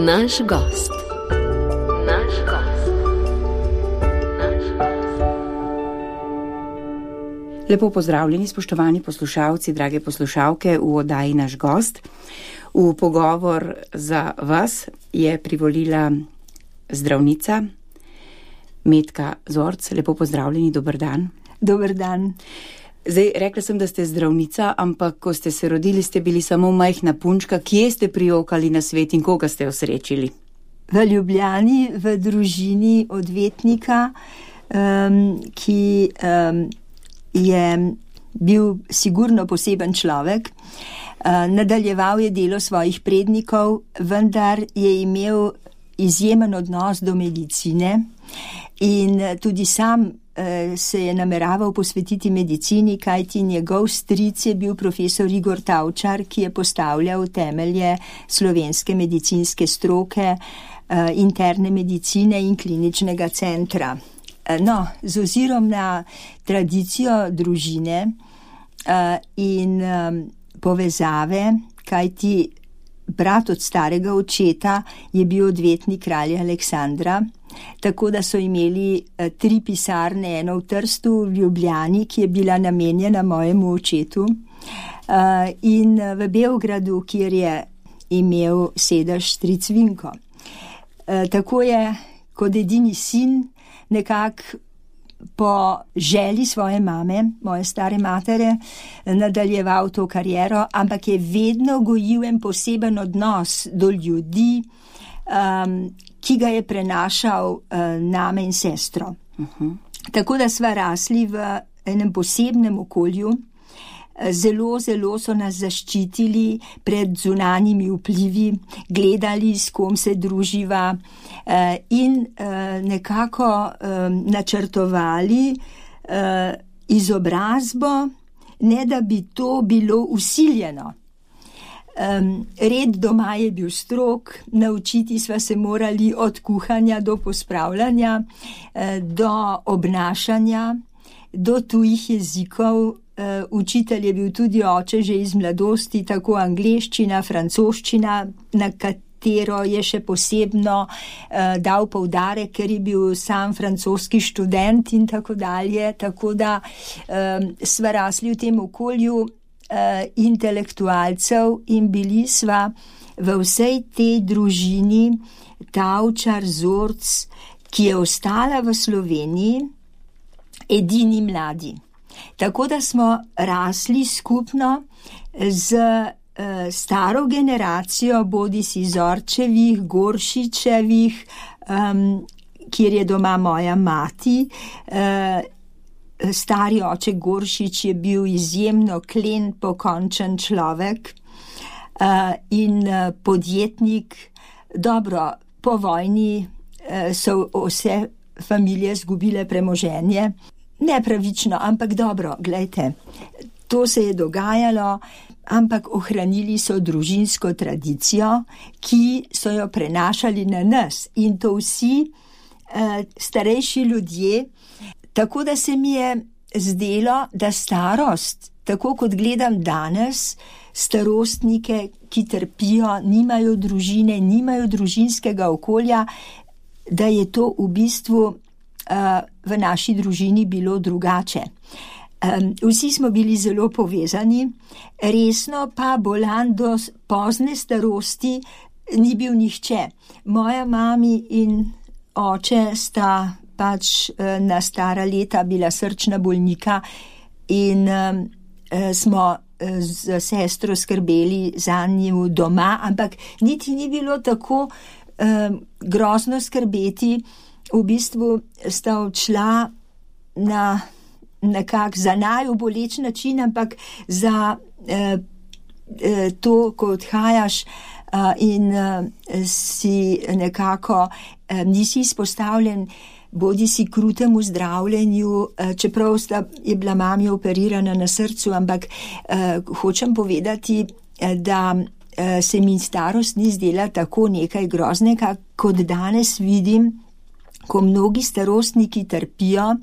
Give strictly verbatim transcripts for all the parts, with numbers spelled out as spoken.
Naš gost. Naš gost. Naš gost. Lepo pozdravljeni, spoštovani poslušalci, drage poslušalke v oddaji Naš gost. V pogovor za vas je privolila zdravnica Metka Zorc. Lepo pozdravljeni, dober dan. Dober dan. Zdaj, rekla sem, da ste zdravnica, ampak ko ste se rodili, ste bili samo majhna punčka. Kje ste prijokali na svet in koga ste osrečili? V Ljubljani, v družini odvetnika, um, ki um, je bil sigurno poseben človek. Uh, nadaljeval je delo svojih prednikov, vendar je imel izjemen odnos do medicine in tudi sam se je nameraval posvetiti medicini, kajti njegov stric je bil profesor Igor Tavčar, ki je postavljal temelje slovenske medicinske stroke, interne medicine in kliničnega centra. No, z ozirom na tradicijo družine in povezave, kajti brat od starega očeta je bil odvetnik kralja Aleksandra, tako da so imeli tri pisarne, eno v Trstu, v Ljubljani, ki je bila namenjena mojemu očetu, in v Beogradu, kjer je imel sedež stric Vinko. Tako je kot edini sin nekako po želji svoje mame, moje stare matere, nadaljeval to kariero, ampak je vedno gojil en poseben odnos do ljudi, um, ki ga je prenašal uh, name in sestro. Uh-huh. Tako da sva rasli v enem posebnem okolju. Zelo, zelo so nas zaščitili pred zunanjimi vplivi, gledali, s kom se druživa in nekako načrtovali izobrazbo, ne da bi to bilo vsiljeno. Red doma je bil strog, naučiti sva se morali od kuhanja do pospravljanja, do obnašanja, do tujih jezikov. Uh, učitelj je bil tudi oče že iz mladosti, tako angleščina, francoščina, na katero je še posebno uh, dal poudarek, ker je bil sam francoski študent in tako dalje. Tako da um, sva rasli v tem okolju uh, intelektualcev in bili sva v vsej tej družini Tavčar, Zorc, ki je ostala v Sloveniji, edini mladi. Tako da smo rasli skupno z uh, staro generacijo, bodisi Zorčevih, Goršičevih, um, kjer je doma moja mati. Uh, stari oče Goršič je bil izjemno klen, pokončen človek uh, in uh, podjetnik. Dobro, po vojni uh, so vse familije zgubile premoženje. Nepravično, ampak dobro, glejte, to se je dogajalo, ampak ohranili so družinsko tradicijo, ki so jo prenašali na nas in to vsi eh, starejši ljudje. Tako da se mi je zdelo, da starost, tako kot gledam danes, starostnike, ki trpijo, nimajo družine, nimajo družinskega okolja, da je to v bistvu v naši družini bilo drugače. Vsi smo bili zelo povezani, resno pa bolan do pozne starosti ni bil nihče. Moja mami in oče sta pač na stara leta bila srčna bolnika in smo z sestro skrbeli za njo doma, ampak niti ni bilo tako grozno skrbeti. V bistvu sta odšla na nekak za naju boleč način, ampak za eh, to, ko odhajaš eh, in eh, si nekako eh, nisi izpostavljen bodi si krutemu zdravljenju, eh, čeprav sta, je bila mami operirana na srcu, ampak eh, hočem povedati, eh, da eh, se mi starost ni zdela tako nekaj groznega, kot danes vidim, ko mnogi starostniki trpijo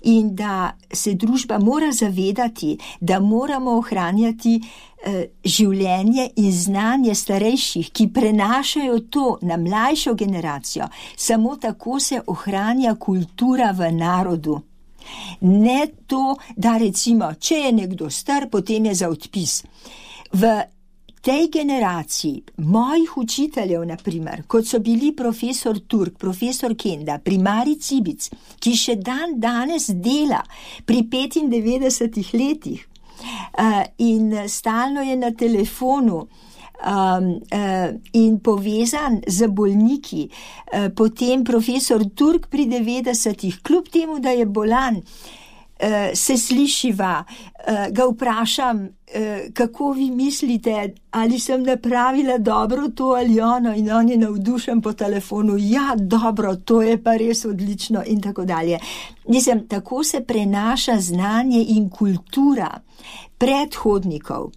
in da se družba mora zavedati, da moramo ohranjati eh, življenje in znanje starejših, ki prenašajo to na mlajšo generacijo. Samo tako se ohranja kultura v narodu. Ne to, da recimo, če je nekdo star, potem je za odpis. V tej generaciji mojih učiteljev, na primer, kot so bili profesor Turk, profesor Kenda, primarij Cibic, ki še dan danes dela pri petindevetdesetih letih uh, in stalno je na telefonu um, uh, in povezan z bolniki, uh, potem profesor Turk pri devetdesetih, kljub temu, da je bolan, Uh, se slišiva, uh, ga vprašam, uh, kako vi mislite, ali sem napravila dobro to ali ono, in on je navdušen po telefonu, ja, dobro, to je pa res odlično in tako dalje. Mislim, tako se prenaša znanje in kultura predhodnikov.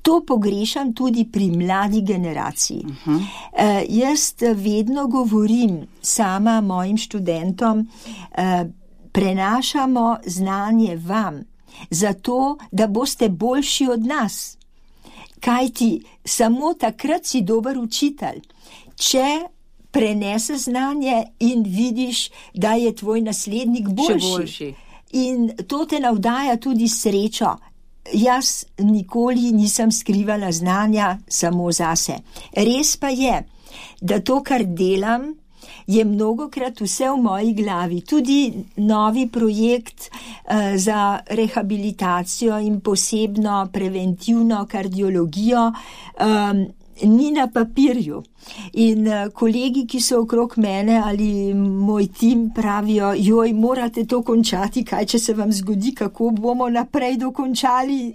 To pogrešam tudi pri mladi generaciji. Uh-huh. Uh, jaz vedno govorim sama mojim študentom, uh, prenašamo znanje vam, zato, da boste boljši od nas. Kajti samo takrat si dober učitelj, če prenese znanje in vidiš, da je tvoj naslednik boljši. boljši. In to te navdaja tudi srečo. Jaz nikoli nisem skrivala znanja samo zase. Res pa je, da to, kar delam, je mnogokrat vse v moji glavi. Tudi novi projekt uh, za rehabilitacijo in posebno preventivno kardiologijo um, ni na papirju. In uh, kolegi, ki so okrog mene ali moj tim pravijo, joj, morate to končati, kaj če se vam zgodi, kako bomo naprej dokončali.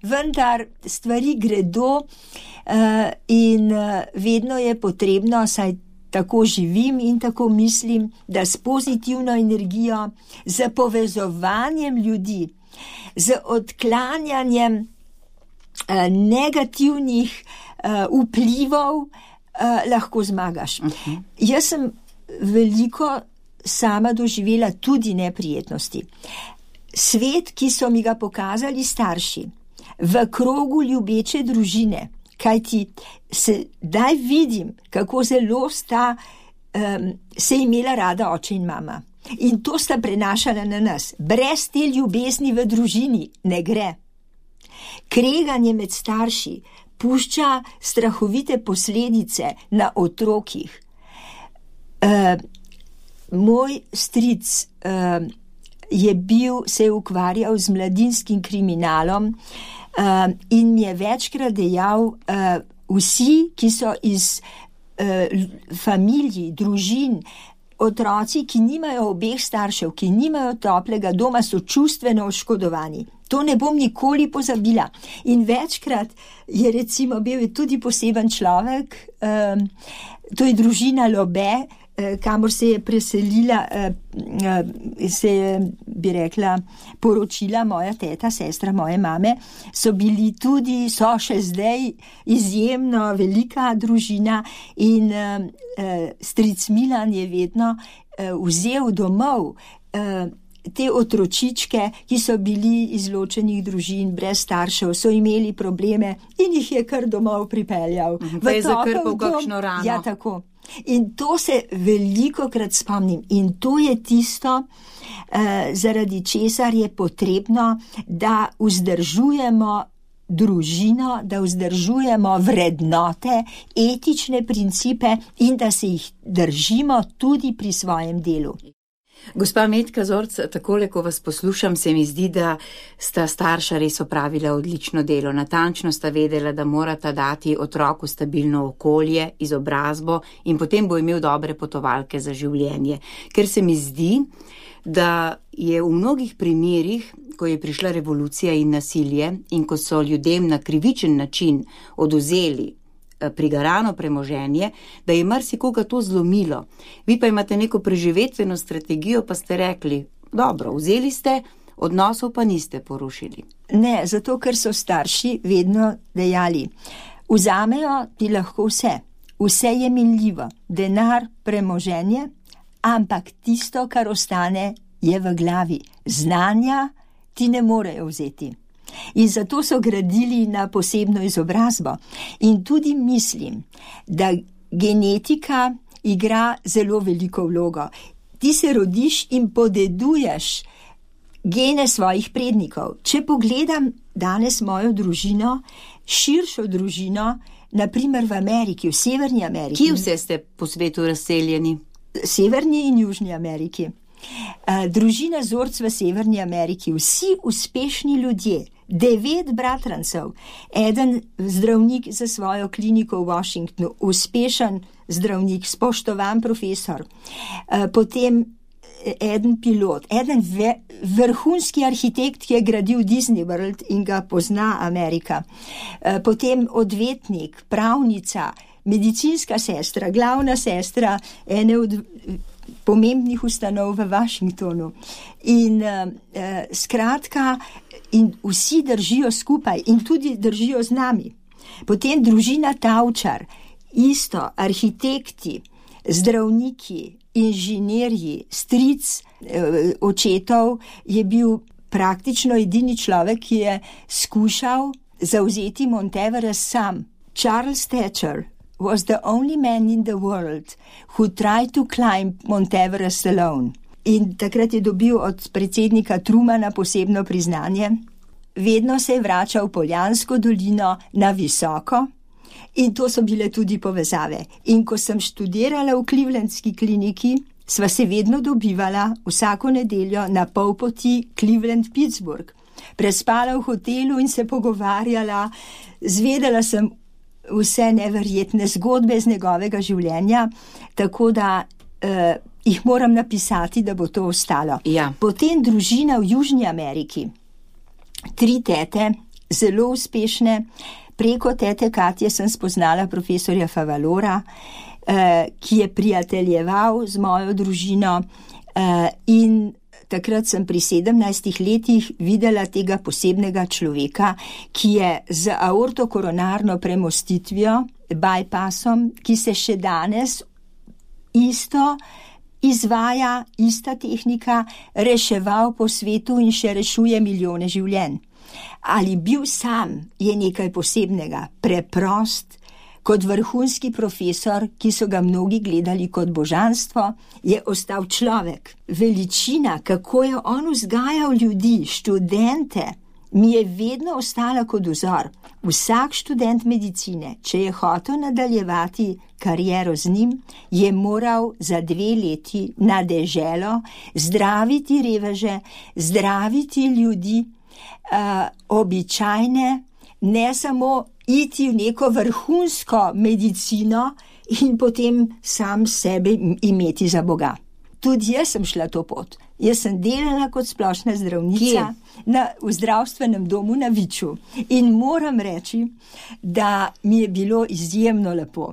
Vendar stvari gredo uh, in uh, vedno je potrebno, saj tako živim in tako mislim, da s pozitivno energijo, z povezovanjem ljudi, z odklanjanjem eh, negativnih eh, vplivov eh, lahko zmagaš. Uh-huh. Jaz sem veliko sama doživela tudi neprijetnosti. Svet, ki so mi ga pokazali starši, v krogu ljubeče družine, kajti sedaj vidim, kako zelo sta um, se imela rada oče in mama. In to sta prenašala na nas. Brez te ljubezni v družini ne gre. Kreganje med starši pušča strahovite posledice na otrokih. Uh, moj stric uh, je bil, se je ukvarjal z mladinskim kriminalom, Uh, in mi je večkrat dejal, uh, vsi, ki so iz uh, familij, družin, otroci, ki nimajo obeh staršev, ki nimajo toplega doma, so čustveno oškodovani. To ne bom nikoli pozabila. In večkrat je recimo bil je tudi poseben človek, um, to je družina Lobe, kamor se je preselila, se je, bi rekla, poročila moja teta, sestra moje mame, so bili tudi, so še zdaj izjemno velika družina in stric Milan je vedno vzel domov te otročičke, ki so bili izločenih družin, brez staršev, so imeli probleme in jih je kar domov pripeljal. Pa je zakrpal kakšno rano. Ja, tako. In to se velikokrat spomnim. In to je tisto, eh, zaradi česar je potrebno, da vzdržujemo družino, da vzdržujemo vrednote, etične principe in da se jih držimo tudi pri svojem delu. Gospa Metka Zorc, takole, ko vas poslušam, se mi zdi, da sta starša res opravila odlično delo. Natančno sta vedela, da morata dati otroku stabilno okolje, izobrazbo in potem bo imel dobre potovalke za življenje. Ker se mi zdi, da je v mnogih primerih, ko je prišla revolucija in nasilje in ko so ljudem na krivičen način oduzeli prigarano premoženje, da je marsikoga to zlomilo. Vi pa imate neko preživetveno strategijo, pa ste rekli, dobro, vzeli ste, odnosov pa niste porušili. Ne, zato ker so starši vedno dejali, vzamejo ti lahko vse, vse je minljivo, denar, premoženje, ampak tisto, kar ostane, je v glavi. Znanja ti ne morejo vzeti. In zato so gradili na posebno izobrazbo. In tudi mislim, da genetika igra zelo veliko vlogo. Ti se rodiš in podeduješ gene svojih prednikov. Če pogledam danes mojo družino, širšo družino, naprimer v Ameriki, v Severni Ameriki. Kje vse ste po svetu razseljeni? Severni in Južni Ameriki. Družina Zorc v Severni Ameriki, vsi uspešni ljudje, devet bratrancev, eden zdravnik za svojo kliniko v Washingtonu, uspešen zdravnik, spoštovan profesor, potem eden pilot, eden ve, vrhunski arhitekt, ki je gradil Disney World in ga pozna Amerika, potem odvetnik, pravnica, medicinska sestra, glavna sestra ene od pomembnih ustanov v Washingtonu. In uh, skratka, in vsi držijo skupaj in tudi držijo z nami. Potem družina Tavčar, isto, arhitekti, zdravniki, inženirji, stric eh, očetov je bil praktično edini človek, ki je skušal zavzeti Mount Everest sam. Charles Thatcher was the only man in the world who tried to climb Mount Everest alone. In takrat je dobil od predsednika Trumana posebno priznanje. Vedno se je vračal v Poljansko dolino na visoko in to so bile tudi povezave. In ko sem študirala v Clevelandski kliniki, sva se vedno dobivala vsako nedeljo na pol poti Cleveland-Pittsburgh. Prespala v hotelu in se pogovarjala, zvedela sem vse neverjetne zgodbe z njegovega življenja, tako da eh, jih moram napisati, da bo to ostalo. Ja. Potem družina v Južni Ameriki, tri tete, zelo uspešne. Preko tete Katje sem spoznala profesorja Favalora, eh, ki je prijateljeval z mojo družino eh, in takrat sem pri sedemnajstih letih videla tega posebnega človeka, ki je z aortokoronarno premostitvijo, bypassom, ki se še danes isto izvaja, ista tehnika, reševal po svetu in še rešuje milijone življenj. Ali bil sam je nekaj posebnega, preprost, kot vrhunski profesor, ki so ga mnogi gledali kot božanstvo, je ostal človek. Veličina, kako je on vzgajal ljudi, študente, mi je vedno ostala kot vzor. Vsak študent medicine, če je hotel nadaljevati kariero z njim, je moral za dve leti na deželo zdraviti reveže, zdraviti ljudi, uh, običajne, ne samo iti v neko vrhunsko medicino in potem sam sebe imeti za Boga. Tudi jaz sem šla to pot. Jaz sem delala kot splošna zdravnica na, v zdravstvenem domu na Viču in moram reči, da mi je bilo izjemno lepo.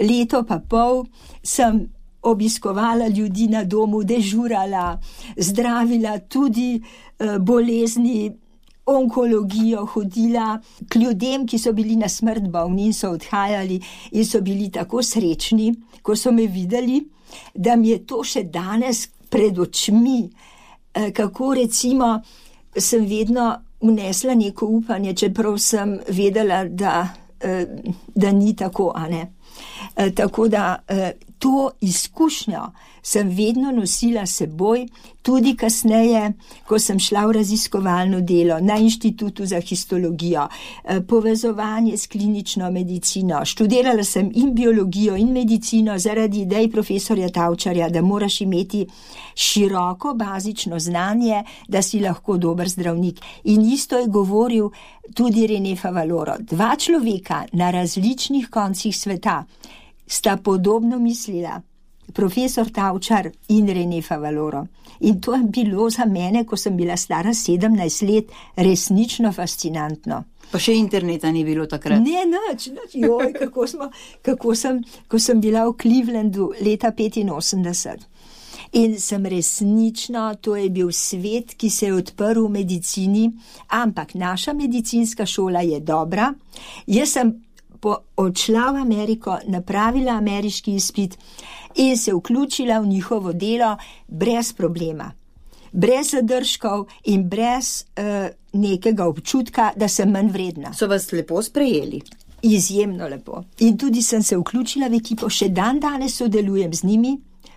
Leto pa pol sem obiskovala ljudi na domu, dežurala, zdravila tudi uh, bolezni, onkologijo, hodila k ljudem, ki so bili na smrt bolni in so odhajali in so bili tako srečni, ko so me videli, da mi je to še danes pred očmi, kako recimo sem vedno vnesla neko upanje, čeprav sem vedela, da, da ni tako, a ne. Tako da to izkušnjo sem vedno nosila seboj, tudi kasneje, ko sem šla v raziskovalno delo na Inštitutu za histologijo, povezovanje s klinično medicino. Študirala sem in biologijo in medicino zaradi idej profesorja Tavčarja, da moraš imeti široko bazično znanje, da si lahko dober zdravnik. In isto je govoril tudi René Favaloro. Dva človeka na različnih koncih sveta sta podobno mislila, profesor Tavčar in René Favaloro. In to je bilo za mene, ko sem bila stara sedemnajst let, resnično fascinantno. Pa še interneta ni bilo takrat. Ne, nič, nič. Joj, kako, smo, kako sem, ko sem bila v Clevelandu leta petinosemdeset. In sem resnično, to je bil svet, ki se je odprl v medicini, ampak naša medicinska šola je dobra. Jaz sem po, odšla v Ameriko, napravila ameriški izpit in se vključila v njihovo delo brez problema. Brez zadržkov in brez uh, nekega občutka, da sem manj vredna. So vas lepo sprejeli? Izjemno lepo. In tudi sem se vključila v ekipo, še dan danes sodelujem z njimi,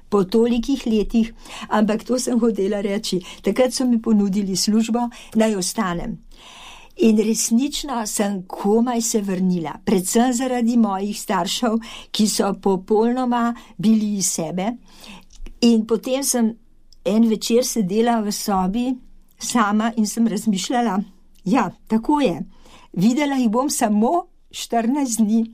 po tolikih letih, ampak to sem hotela reči. Takrat so mi ponudili službo, naj ostanem. In resnično sem komaj se vrnila, predvsem zaradi mojih staršev, ki so popolnoma bili iz sebe. In potem sem en večer sedela v sobi sama in sem razmišljala, ja, tako je, videla jih bom samo štirinajst dni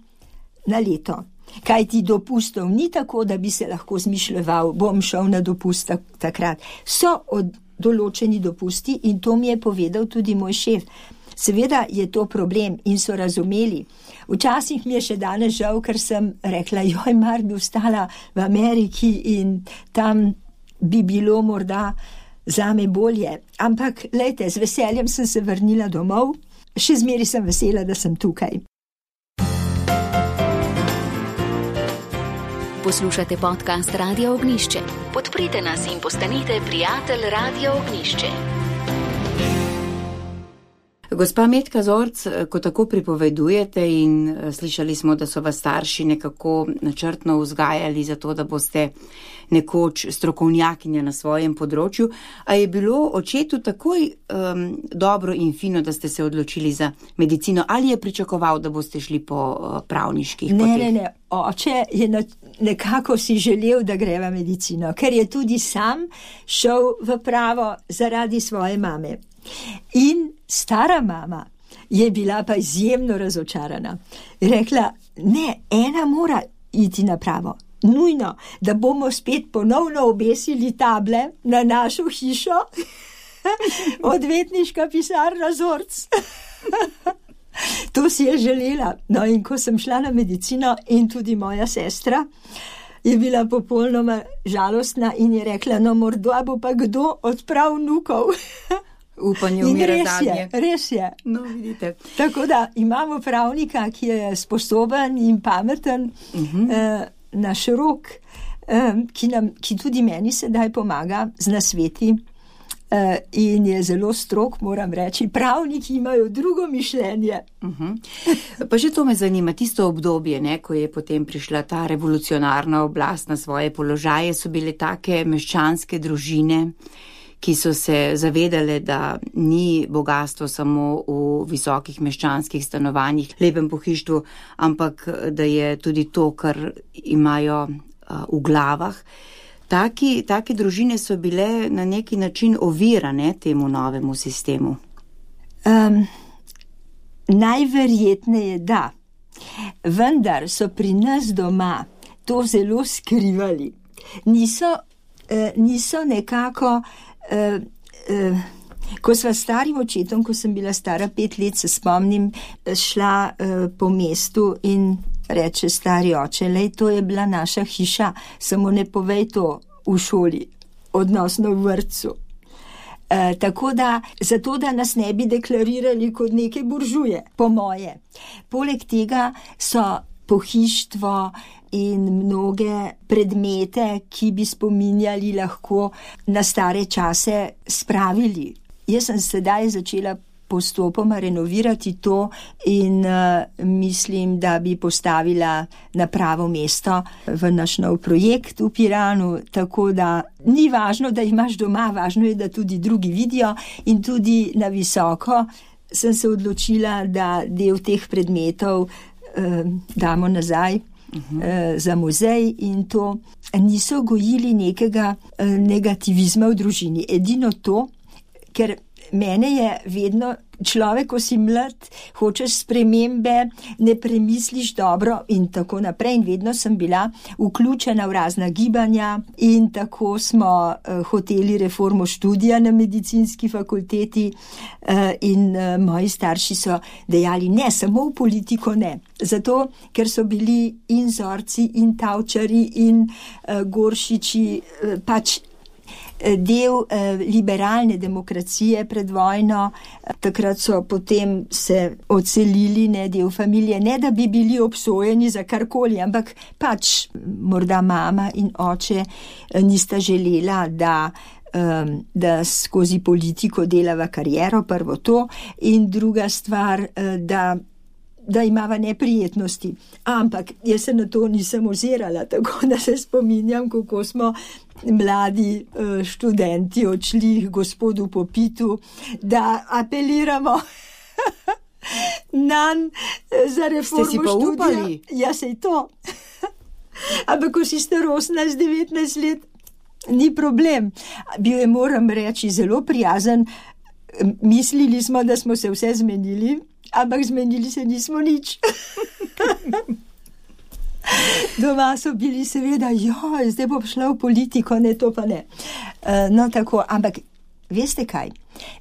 na leto. Kaj ti dopustov ni tako, da bi se lahko zmišljeval, bom šel na dopust takrat. So od določeni dopusti in to mi je povedal tudi moj šef. Seveda je to problem in so razumeli. Včasih mi je še danes žal, ker sem rekla, joj, mar bi ostala v Ameriki in tam bi bilo morda zame bolje. Ampak, lejte, z veseljem sem se vrnila domov, še zmeri sem vesela, da sem tukaj. Poslušate podcast Radio Ognjišče. Podprite nas in postanite prijatelj Radio Ognjišče. Gospa Metka Zorc, ko tako pripovedujete in slišali smo, da so vas starši nekako načrtno vzgajali za to, da boste nekoč strokovnjakinja na svojem področju, a je bilo očetu takoj um, dobro in fino, da ste se odločili za medicino, ali je pričakoval, da boste šli po uh, pravniških poteh? Ne, ne, ne, oče je na, nekako si želel, da gre v medicino, ker je tudi sam šel v pravo zaradi svoje mame. In stara mama je bila pa izjemno razočarana. Rekla, ne, ena mora iti na pravo. Nujno, da bomo spet ponovno obesili table na našo hišo. Odvetniška pisarna Zorc. To si je želela. No, in ko sem šla na medicino in tudi moja sestra je bila popolnoma žalostna in je rekla, no, morda bo pa kdo odprav vnukov. Upanje umira zadnje. Res je. No, vidite. Tako da imamo pravnika, ki je sposoben in pameten, uh-huh. eh, naš rok, eh, ki, nam, ki tudi meni sedaj pomaga z nasveti eh, in je zelo strog, moram reči. Pravniki imajo drugo mišljenje. Uh-huh. Pa že to me zanima, tisto obdobje, ne, ko je potem prišla ta revolucionarna oblast na svoje položaje, so bile take meščanske družine, ki so se zavedale, da ni bogatstvo samo v visokih meščanskih stanovanjih, lepem pohištvu, ampak da je tudi to, kar imajo v glavah. Taki, take družine so bile na neki način ovirane temu novemu sistemu. Um, najverjetneje da, vendar so pri nas doma to zelo skrivali. Niso, uh, niso nekako Uh, uh, ko sva starim očetom, ko sem bila stara pet let, se spomnim, šla uh, po mestu in reče stari oče, lej, to je bila naša hiša, samo ne povej to v šoli, odnosno v vrtcu. Uh, tako da, zato da nas ne bi deklarirali kot neke buržuje, po moje. Poleg tega so pohištvo in mnoge predmete, ki bi spominjali lahko na stare čase, spravili. Jaz sem sedaj začela postopoma renovirati to in uh, mislim, da bi postavila na pravo mesto v naš nov projekt v Piranu, tako da ni važno, da imaš doma, važno je, da tudi drugi vidijo in tudi na visoko sem se odločila, da del teh predmetov uh, damo nazaj. Uh-huh. za muzej in to niso gojili nekega negativizma v družini. Edino to, ker mene je vedno človek, ko si mlad, hočeš spremembe, ne premisliš dobro in tako naprej. In vedno sem bila vključena v razna gibanja in tako smo uh, hoteli reformo študija na medicinski fakulteti uh, in uh, moji starši so dejali, ne, samo v politiko ne. Zato, ker so bili in Zorci in Tavčari in uh, Goršiči uh, pač del eh, liberalne demokracije pred vojno. Takrat so potem se odselili, ne, del familije, ne da bi bili obsojeni za karkoli, ampak pač morda mama in oče nista želela, da da skozi politiko delava kariero, prvo to, in druga stvar, da, da imava neprijetnosti. Ampak jaz se na to nisem ozirala, tako da se spominjam, kako smo mladi študenti odšli gospodu Popitu, da apeliramo nanj za reformo študija. Ste si pa upali? Ja, sej to. Ampak ko si star osemnajst devetnajst let, ni problem. Bil je, moram reči, zelo prijazen. Mislili smo, da smo se vse zmenili, ampak zmenili se nismo nič. Doma so bili seveda, joj, zdaj bo šla v politiko, ne, to pa ne. No, tako, ampak veste kaj?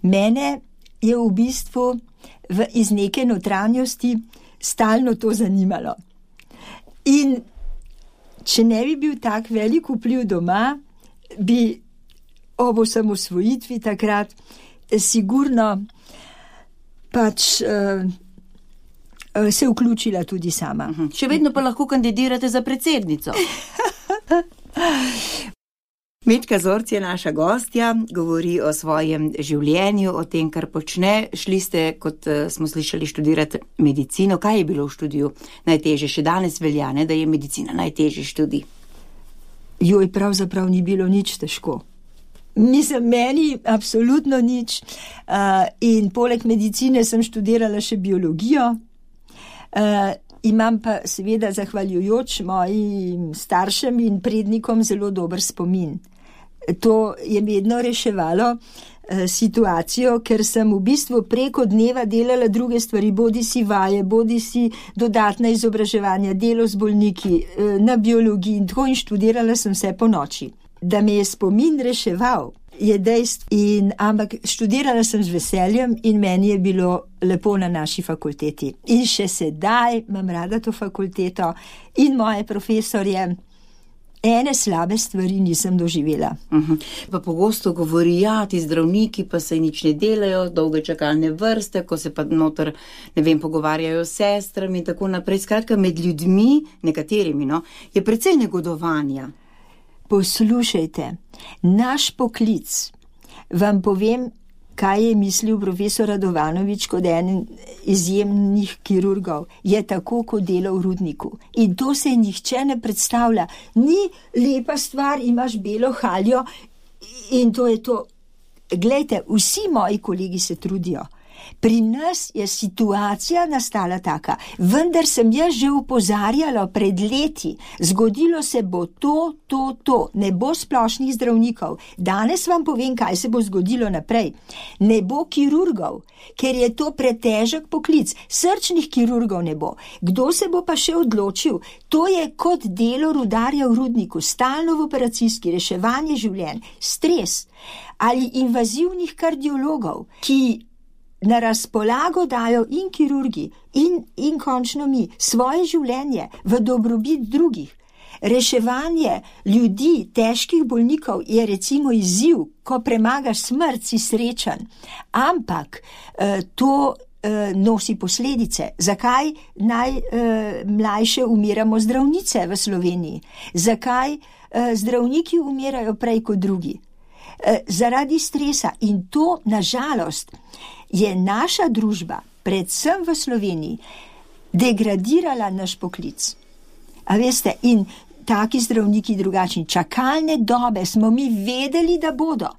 Mene je v bistvu v, iz neke notranjosti stalno to zanimalo. In če ne bi bil tak velik vpliv doma, bi ob osamosvojitvi takrat sigurno pač uh, uh, se vključila tudi sama. Uh-huh. Še vedno pa lahko kandidirate za predsednico. Metka Zorc je naša gostja, govori o svojem življenju, o tem, kar počne. Šli ste, kot uh, smo slišali, študirati medicino. Kaj je bilo v študiju najtežje? Še danes velja, ne, da je medicina najtežji študij. Joj, pravzaprav ni bilo nič težko. Mislim, meni absolutno nič. Uh, in poleg medicine sem študirala še biologijo. Uh, imam pa seveda, zahvaljujoč mojim staršem in prednikom, zelo dober spomin. To je vedno reševalo uh, situacijo, ker sem v bistvu preko dneva delala druge stvari, bodi si vaje, bodi si dodatna izobraževanja, delo z bolniki, uh, na biologiji in tako, in študirala sem vse po noči. Da me je spomin reševal, je dejstvo, in, ampak študirala sem z veseljem in meni je bilo lepo na naši fakulteti. In še sedaj imam rada to fakulteto in moje profesorje. Ene slabe stvari nisem doživela. Uh-huh. Pa pogosto govori, ja, ti zdravniki pa se nič ne delajo, dolge čakalne vrste, ko se pa noter, ne vem, pogovarjajo s sestrami in tako naprej. Skratka, med ljudmi, nekaterimi, no, je precej negodovanja. Poslušajte, naš poklic, vam povem, kaj je mislil profesor Radovanovič kot en izjemnih kirurgov, je tako, kot dela v rudniku. In to se nihče ne predstavlja. Ni lepa stvar, imaš belo haljo in to je to. Glejte, vsi moji kolegi se trudijo. Pri nas je situacija nastala taka, vendar sem jaz že opozarjala pred leti, zgodilo se bo to, to, to, ne bo splošnih zdravnikov. Danes vam povem, kaj se bo zgodilo naprej. Ne bo kirurgov, ker je to pretežek poklic, srčnih kirurgov ne bo. Kdo se bo pa še odločil? To je kot delo rudarja v rudniku, stalno v operacijski, reševanje življenj, stres ali invazivnih kardiologov, ki na razpolago dajo in kirurgi in, in končno mi svoje življenje v dobrobit drugih. Reševanje ljudi, težkih bolnikov je recimo izziv, ko premagaš smrt, si srečen, ampak eh, to eh, nosi posledice. Zakaj najmlajše eh, umiramo zdravnice v Sloveniji? Zakaj eh, zdravniki umirajo prej kot drugi? Eh, zaradi stresa, in to nažalost je naša družba, predvsem v Sloveniji, degradirala naš poklic. A veste, in taki zdravniki drugačni, čakalne dobe smo mi vedeli, da bodo.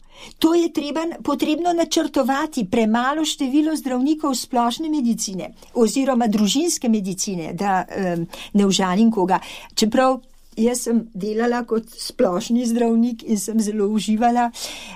To je treba, potrebno načrtovati, premalo število zdravnikov splošne medicine oziroma družinske medicine, da um, ne užalim koga. Čeprav jaz sem delala kot splošni zdravnik in sem zelo uživala,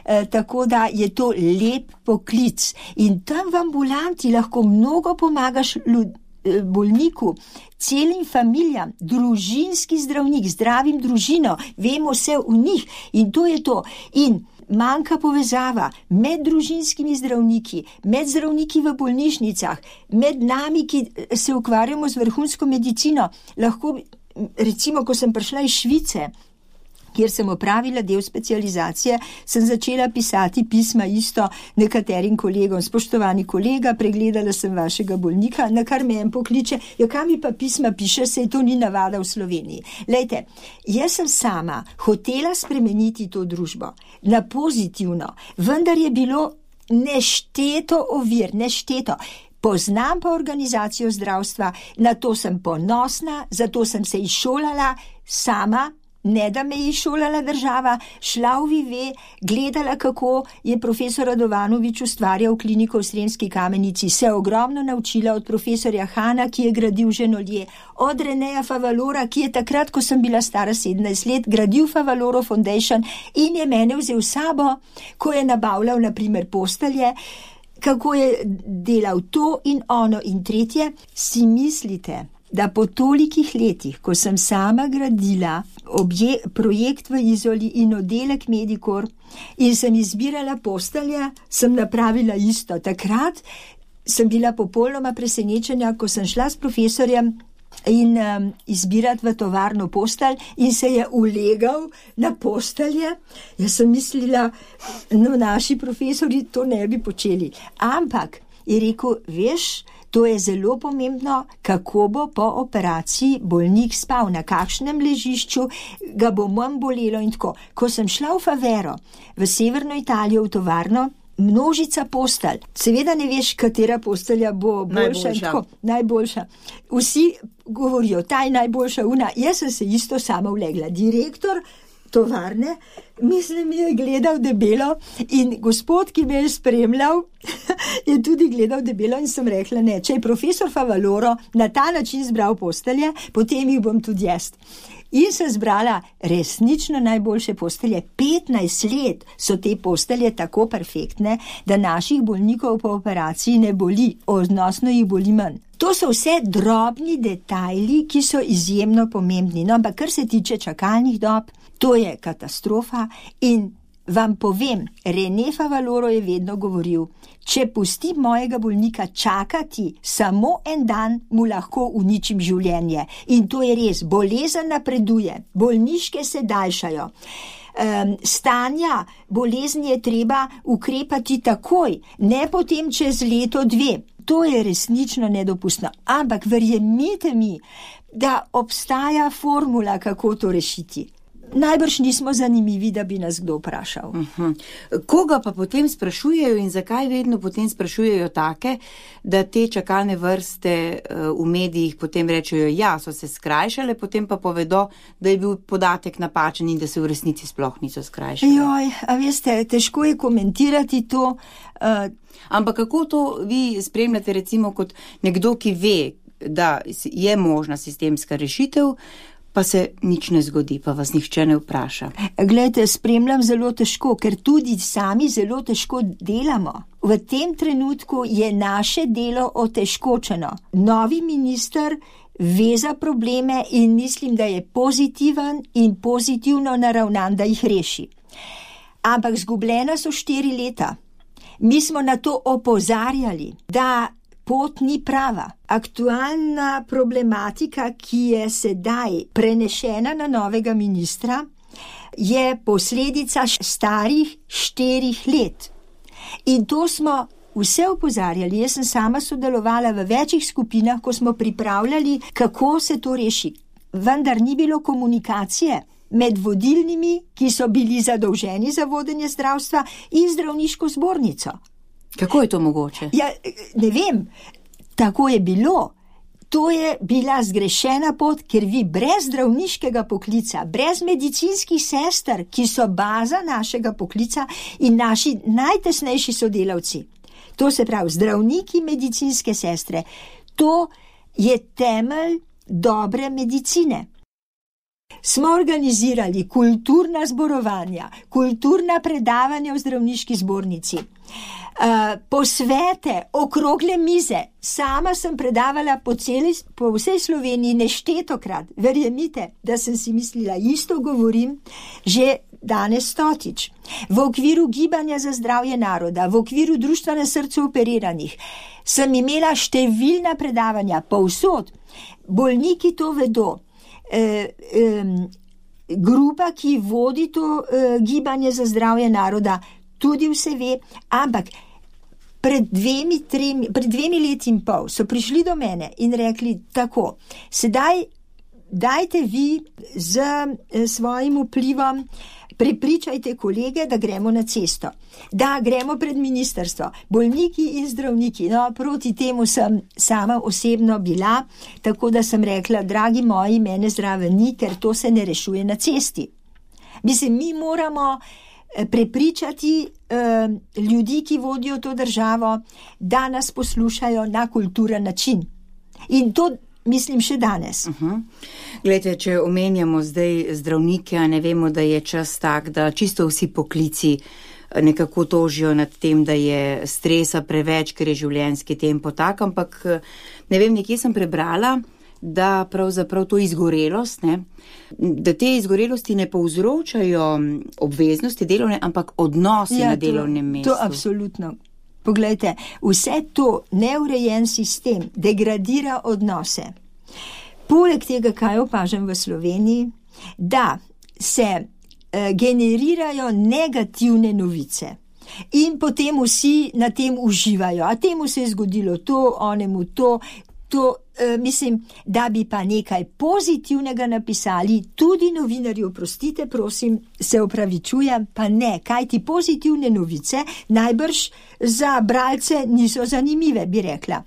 eh, tako da je to lep poklic. In tam v ambulanti lahko mnogo pomagaš ljud, eh, bolniku, celim familijam, družinski zdravnik, zdravim družino, vemo vse v njih in to je to. In manjka povezava med družinskimi zdravniki, med zdravniki v bolnišnicah, med nami, ki se ukvarjamo z vrhunsko medicino. Lahko recimo, ko sem prišla iz Švice, kjer sem opravila del specializacije, sem začela pisati pisma isto nekaterim kolegom. Spoštovani kolega, pregledala sem vašega bolnika, na kar me en pokliče, ja, kam mi pa pisma piše, se to ni navada v Sloveniji. Lejte, jaz sem sama hotela spremeniti to družbo na pozitivno, vendar je bilo nešteto ovir, nešteto. Poznam pa organizacijo zdravstva, na to sem ponosna, zato sem se izšolala sama, ne da me je izšolala država, šla v Vive, gledala, kako je profesor Radovanovič ustvarjal kliniko v Sremski Kamenici, se ogromno naučila od profesorja Hana, ki je gradil Ženolje, od Reneja Favalora, ki je takrat, ko sem bila stara sedemnajst let, gradil Favaloro Foundation in je mene vzel sabo, ko je nabavljal na primer postelje, kako je delal to in ono in tretje. Si mislite, da po tolikih letih, ko sem sama gradila obje, projekt v Izoli in oddelek Medikor in sem izbirala postelje, sem napravila isto. Takrat sem bila popolnoma presenečena, ko sem šla s profesorjem in um, izbirati v tovarno postelj in se je ulegal na postelje. Jaz sem mislila, no, naši profesori to ne bi počeli. Ampak je rekel, veš, to je zelo pomembno, kako bo po operaciji bolnik spal, na kakšnem ležišču ga bo manj bolelo in tako. Ko sem šla v Favero, v severno Italijo, v tovarno, množica postelj. Seveda ne veš, katera postelja bo boljša in tako. Najboljša. Vsi govorijo, ta je najboljša una. Jaz sem se isto sama ulegla. Direktor tovarne, mislim, je gledal debelo in gospod, ki me je spremljal, je tudi gledal debelo in sem rekla, ne, če je profesor Favaloro na ta način zbral postelje, potem jih bom tudi jaz. In sem zbrala resnično najboljše postelje. petnajst let so te postelje tako perfektne, da naših bolnikov po operaciji ne boli, odnosno jih boli manj. To so vse drobni detajli, ki so izjemno pomembni. No, ampak kar se tiče čakalnih dob, to je katastrofa in vam povem, René Favaloro je vedno govoril, če pustim mojega bolnika čakati samo en dan, mu lahko uničim življenje. In to je res, bolezen napreduje, bolniške se daljšajo. Um, stanja bolezni je treba ukrepati takoj, ne potem čez leto dve. To je resnično nedopustno. Ampak verjemite mi, da obstaja formula, kako to rešiti. Najbrž nismo zanimivi, da bi nas kdo vprašal. Uh-huh. Koga pa potem sprašujejo in zakaj vedno potem sprašujejo take, da te čakalne vrste uh, v medijih potem rečejo, ja, so se skrajšale, potem pa povedo, da je bil podatek napačen in da se v resnici sploh niso skrajšale. Joj, a veste, težko je komentirati to. Uh, Ampak kako to vi spremljate recimo kot nekdo, ki ve, da je možna sistemska rešitev, pa se nič ne zgodi, pa vas nihče ne vpraša? Glejte, spremljam zelo težko, ker tudi sami zelo težko delamo. V tem trenutku je naše delo otežkočeno. Novi minister ve za probleme in mislim, da je pozitiven in pozitivno naravnan, da jih reši. Ampak zgubljena so štiri leta. Mi smo na to opozarjali, da pot ni prava. Aktualna problematika, ki je sedaj prenešena na novega ministra, je posledica starih štirih let. In to smo vse opozarjali. Jaz sem sama sodelovala v večjih skupinah, ko smo pripravljali, kako se to reši. Vendar ni bilo komunikacije med vodilnimi, ki so bili zadolženi za vodenje zdravstva, in zdravniško zbornico. Kako je to mogoče? Ja, ne vem, tako je bilo. To je bila zgrešena pot, ker vi brez zdravniškega poklica, brez medicinskih sester, ki so baza našega poklica in naši najtesnejši sodelavci, to se pravi zdravniki, medicinske sestre, to je temelj dobre medicine. Smo organizirali kulturna zborovanja, kulturna predavanja v zdravniški zbornici, uh, posvete, okrogle mize. Sama sem predavala po, celi, po vsej Sloveniji neštetokrat. Verjemite, da sem si mislila, isto govorim že danes stotič. V okviru Gibanja za zdravje naroda, v okviru Društva na srcu operiranih, sem imela številna predavanja povsod. Bolniki to vedo. grupa, ki vodi to uh, gibanje za zdravje naroda, tudi vse ve, ampak pred dvemi, tremi, pred dvemi leti in pol so prišli do mene in rekli tako, sedaj dajte vi z uh, svojim vplivom, prepričajte kolege, da gremo na cesto, da gremo pred ministrstvo, bolniki in zdravniki. No, proti temu sem sama osebno bila, tako da sem rekla, dragi moji, mene zraven ni, ker to se ne rešuje na cesti. Mislim, mi moramo prepričati eh, ljudi, ki vodijo to državo, da nas poslušajo na kulturen način. In to mislim še danes. Uh-huh. Glejte, če omenjamo zdaj zdravnike, a ne vemo, da je čas tak, da čisto vsi poklici nekako tožijo nad tem, da je stresa preveč, ker je življenjski tempo tak, ampak ne vem, nekje sem prebrala, da pravzaprav to izgorelost, ne, da te izgorelosti ne povzročajo obveznosti delovne, ampak odnosi ja, na delovnem to, mestu. To absolutno. Poglejte, vse to neurejen sistem degradira odnose. Poleg tega, kaj opažam v Sloveniji, da se eh, generirajo negativne novice in potem vsi na tem uživajo. A temu se je zgodilo to, onemu to, to eh, mislim, da bi pa nekaj pozitivnega napisali, tudi novinarji, oprostite, prosim, se opravičujem, pa ne, kaj ti pozitivne novice najbrž za bralce niso zanimive, bi rekla.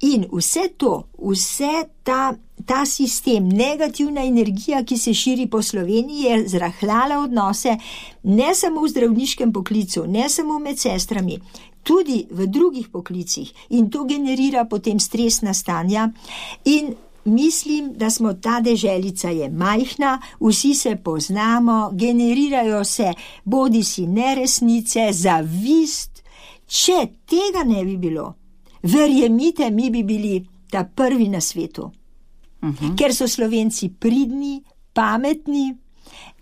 In vse to, vse ta, ta sistem, negativna energija, ki se širi po Sloveniji, je zrahljala odnose ne samo v zdravniškem poklicu, ne samo med sestrami, tudi v drugih poklicih, in to generira potem stresna stanja. In mislim, da smo ta deželica je majhna, vsi se poznamo, generirajo se bodisi neresnice, zavist. Če tega ne bi bilo, verjemite, mi bi bili ta prvi na svetu. Uh-huh. Ker so Slovenci pridni, pametni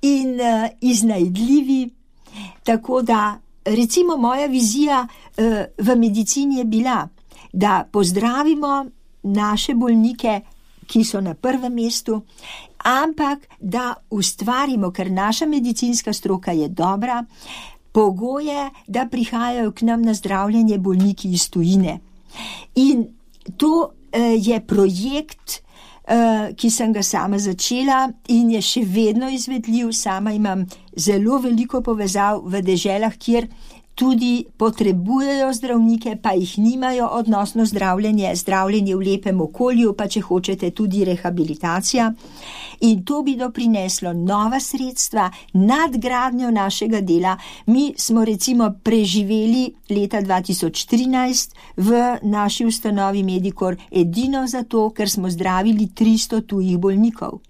in uh, iznajdljivi, tako da recimo moja vizija uh, v medicini je bila, da pozdravimo naše bolnike, ki so na prvem mestu, ampak da ustvarimo, ker naša medicinska stroka je dobra, pogoje, da prihajajo k nam na zdravljenje bolniki iz tujine. In to uh, je projekt, uh, ki sem ga sama začela in je še vedno izvedljiv. Sama imam zelo veliko povezav v deželah, kjer tudi potrebujejo zdravnike, pa jih nimajo, odnosno zdravljenje, zdravljenje v lepem okolju, pa če hočete tudi rehabilitacija. In to bi doprineslo nova sredstva, nadgradnjo našega dela. Mi smo recimo preživeli leta dva tisoč trinajst v naši ustanovi Medikor edino zato, ker smo zdravili tristo tujih bolnikov.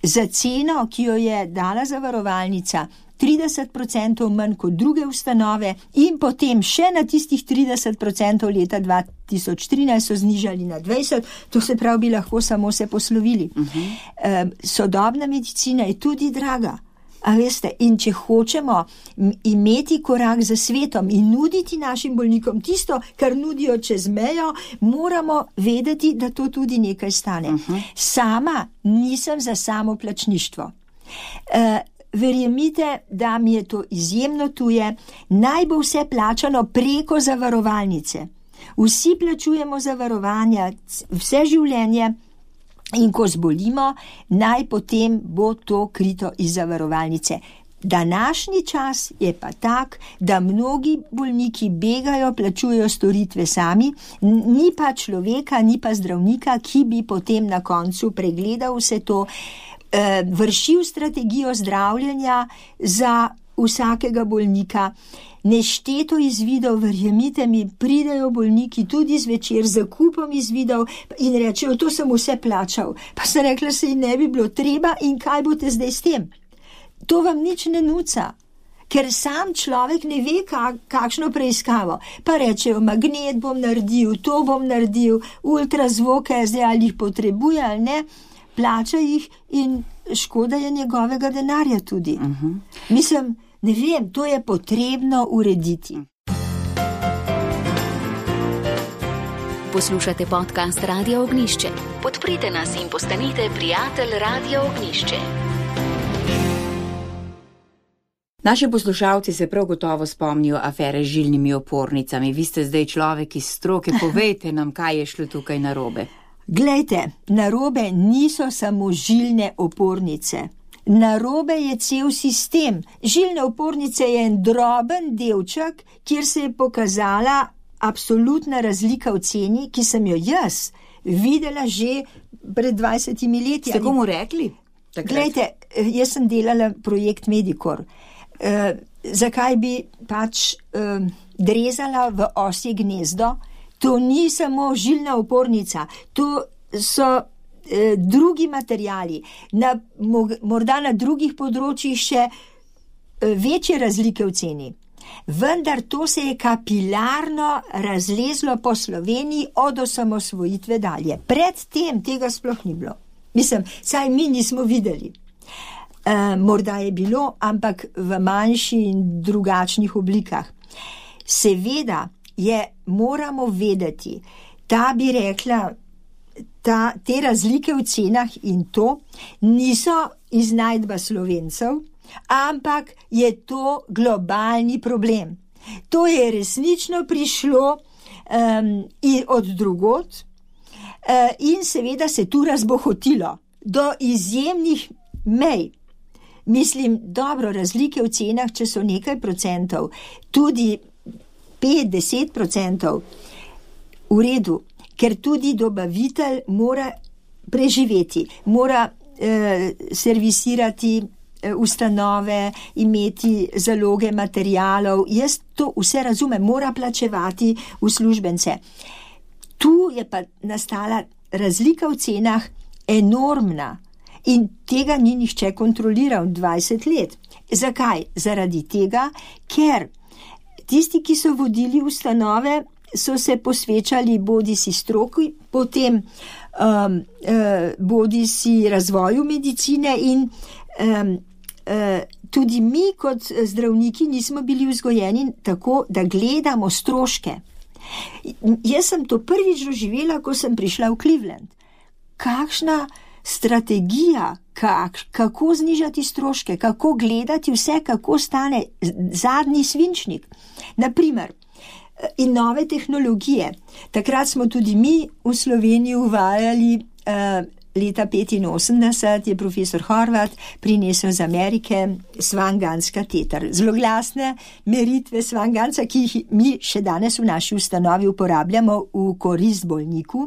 Za ceno, ki jo je dala zavarovalnica, trideset procentov manj kot druge ustanove, in potem še na tistih trideset procentov leta dva tisoč trinajst so znižali na dvajset, to se pravi, bi lahko samo se poslovili. Uh-huh. E, sodobna medicina je tudi draga. A veste, in če hočemo imeti korak za svetom in nuditi našim bolnikom tisto, kar nudijo čez mejo, moramo vedeti, da to tudi nekaj stane. Uh-huh. Sama nisem za samoplačništvo. E, Verjemite, da mi je to izjemno tuje, naj bo vse plačano preko zavarovalnice. Vsi plačujemo zavarovanja vse življenje in ko zbolimo, naj potem bo to krito iz zavarovalnice. Današnji čas je pa tak, da mnogi bolniki begajo, plačujejo storitve sami, ni pa človeka, ni pa zdravnika, ki bi potem na koncu pregledal vse to, vršil strategijo zdravljenja za vsakega bolnika. Nešteto izvidov, verjemite mi, pridejo bolniki tudi zvečer z zakupom izvidov in rečejo, to sem vse plačal. Pa sem rekla, se jim ne bi bilo treba in kaj boste zdaj s tem? To vam nič ne nuca, ker sam človek ne ve, kak, kakšno preiskavo. Pa rečejo, magnet bom naredil, to bom naredil, ultrazvoke, zdaj ali jih potrebuje ali ne, plača jih in škoda je njegovega denarja tudi. Uh-huh. Mislim, ne vem, to je potrebno urediti. Poslušate podcast Radia Ognjišče. Podprite nas in postanite prijatelj Radia Ognjišče. Naši poslušalci se prav gotovo spomnijo afere z žilnimi opornicami. Vi ste zdaj človek iz stroke, povejte nam, kaj je šlo tukaj narobe. Glejte, narobe niso samo žilne opornice. Narobe je cel sistem. Žilne opornice je en droben delček, kjer se je pokazala absolutna razlika v ceni, ki sem jo jaz videla že pred dvajsetimi leti. Ste komu rekli? Takrat? Glejte, jaz sem delala projekt Medikor. Uh, zakaj bi pač uh, drezala v osje gnezdo? To ni samo žilna opornica, to so uh, drugi materijali, na, morda na drugih področjih še uh, večje razlike v ceni. Vendar to se je kapilarno razlezlo po Sloveniji od osamosvojitve dalje. Predtem tega sploh ni bilo. Mislim, saj mi nismo videli. Uh, morda je bilo, ampak v manjši in drugačnih oblikah. Seveda je, moramo vedeti, ta bi rekla, ta, te razlike v cenah in to niso iznajdba Slovencev, ampak je to globalni problem. To je resnično prišlo um, od drugod uh, in seveda se tu razbohotilo do izjemnih mej. Mislim, dobro, razlike v cenah, če so nekaj procentov, tudi pet, deset procentov, v redu, ker tudi dobavitelj mora preživeti, mora eh, servisirati eh, ustanove, imeti zaloge materialov. Jaz to vse razumem, mora plačevati uslužbence. Tu je pa nastala razlika v cenah enormna. In tega ni nihče kontroliral dvajset let. Zakaj? Zaradi tega, ker tisti, ki so vodili ustanove, so se posvečali bodi si stroki, potem um, uh, bodi si razvoju medicine in um, uh, tudi mi kot zdravniki nismo bili vzgojeni tako, da gledamo stroške. Jaz sem to prvič doživela, ko sem prišla v Cleveland. Kakšna strategija, kak, kako znižati stroške, kako gledati vse, kako stane zadnji svinčnik. Naprimer, in nove tehnologije. Takrat smo tudi mi v Sloveniji uvajali uh, leta petinosemdeset je profesor Horvat prinesel z Amerike Swan-Ganz kateter. Zloglasne meritve Swan-Gansa, ki jih mi še danes v naši ustanovi uporabljamo v korist bolniku,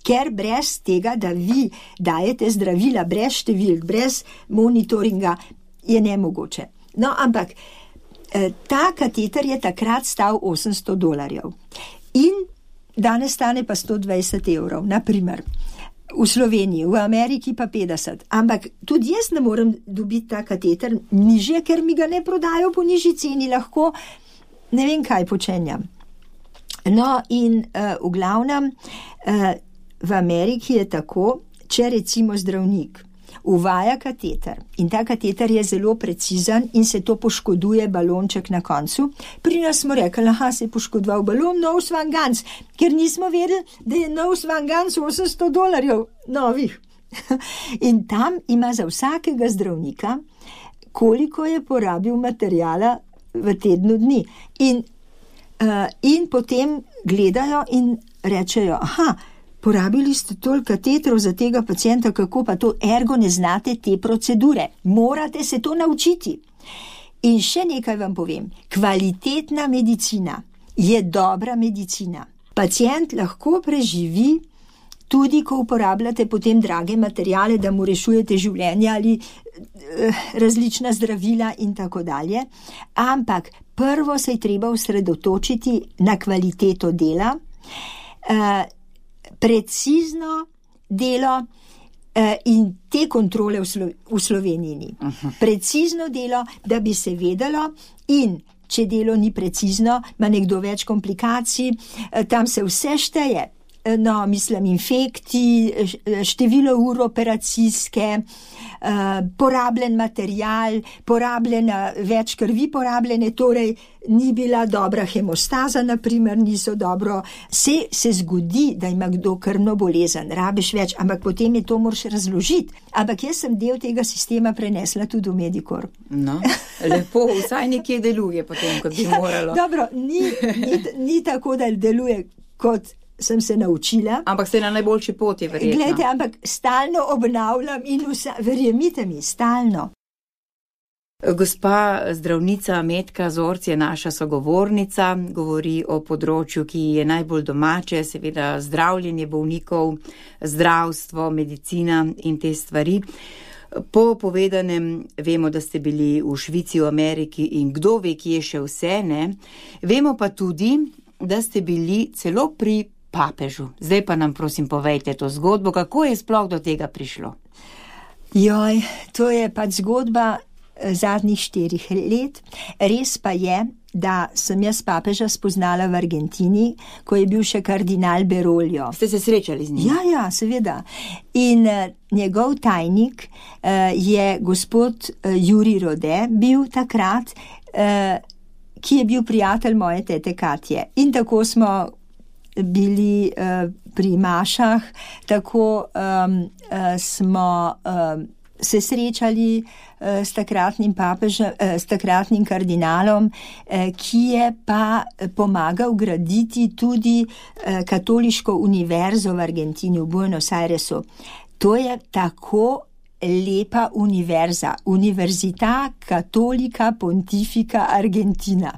ker brez tega, da vi dajete zdravila brez številk, brez monitoringa, je nemogoče. No, ampak ta kateter je takrat stal osemsto dolarjev in danes stane pa sto dvajset evrov, naprimer. V Sloveniji, v Ameriki pa petdeset. Ampak tudi jaz ne morem dobiti ta kateter nižje, ker mi ga ne prodajo po nižji ceni, lahko ne vem kaj počenjam. No in uh, v glavnem uh, v Ameriki je tako, če recimo zdravnik uvaja kateter in ta kateter je zelo precizen in se to poškoduje balonček na koncu. Pri nas smo rekli, aha, se je poškodoval balon, nov Swan-Ganz, ker nismo vedeli, da je nov Swan-Ganz osemsto dolarjev novih. In tam ima za vsakega zdravnika, koliko je porabil materijala v tednu dni. In, uh, in potem gledajo in rečejo, aha, porabili ste toliko katetrov za tega pacienta, kako pa to, ergo ne znate te procedure. Morate se to naučiti. In še nekaj vam povem. Kvalitetna medicina je dobra medicina. Pacient lahko preživi tudi, ko uporabljate potem drage materijale, da mu rešujete življenje ali eh, različna zdravila in tako dalje. Ampak prvo se je treba osredotočiti na kvaliteto dela, eh, precizno delo eh, in te kontrole v, Slo v Sloveniji ni. Uh-huh. Precizno delo, da bi se vedelo in če delo ni precizno, ima nekdo več komplikacij, eh, tam se vse šteje. no, mislim, infekti, število ur operacijske, porabljen material, porabljena več krvi porabljene, torej ni bila dobra hemostaza, naprimer, niso dobro. Se, se zgodi, da ima kdo krvno bolezen, rabiš več, ampak potem je to moraš razložiti. Ampak jaz sem del tega sistema prenesla tudi v Medikor. No, lepo, vsaj nekje deluje potem, kot bi moralo. Dobro, ni, ni, ni tako, da deluje, kot sem se naučila. Ampak ste na najboljši poti, verjetno. Glejte, ampak stalno obnavljam in vsa, verjemite mi, stalno. Gospa zdravnica Metka Zorc je naša sogovornica, govori o področju, ki je najbolj domače, seveda zdravljenje bolnikov, zdravstvo, medicina in te stvari. Po povedanem vemo, da ste bili v Švici, v Ameriki in kdo ve, kje še vse, ne? Vemo pa tudi, da ste bili celo pri papežu. Zdaj pa nam prosim povejte to zgodbo, kako je sploh do tega prišlo? Joj, to je pač zgodba zadnjih štirih let. Res pa je, da sem jaz papeža spoznala v Argentini, ko je bil še kardinal Beroljo. Ste se srečali z njim? Ja, ja, seveda. In uh, njegov tajnik uh, je gospod uh, Juri Rode bil takrat, uh, ki je bil prijatelj moje tete Katje. In tako smo bili uh, pri mašah, tako um, uh, smo uh, se srečali uh, s takratnim papežem, uh, s takratnim kardinalom, uh, ki je pa pomagal graditi tudi uh, katoliško univerzo v Argentini, v Buenos Airesu. To je tako lepa univerza, Università Cattolica Pontifica Argentina.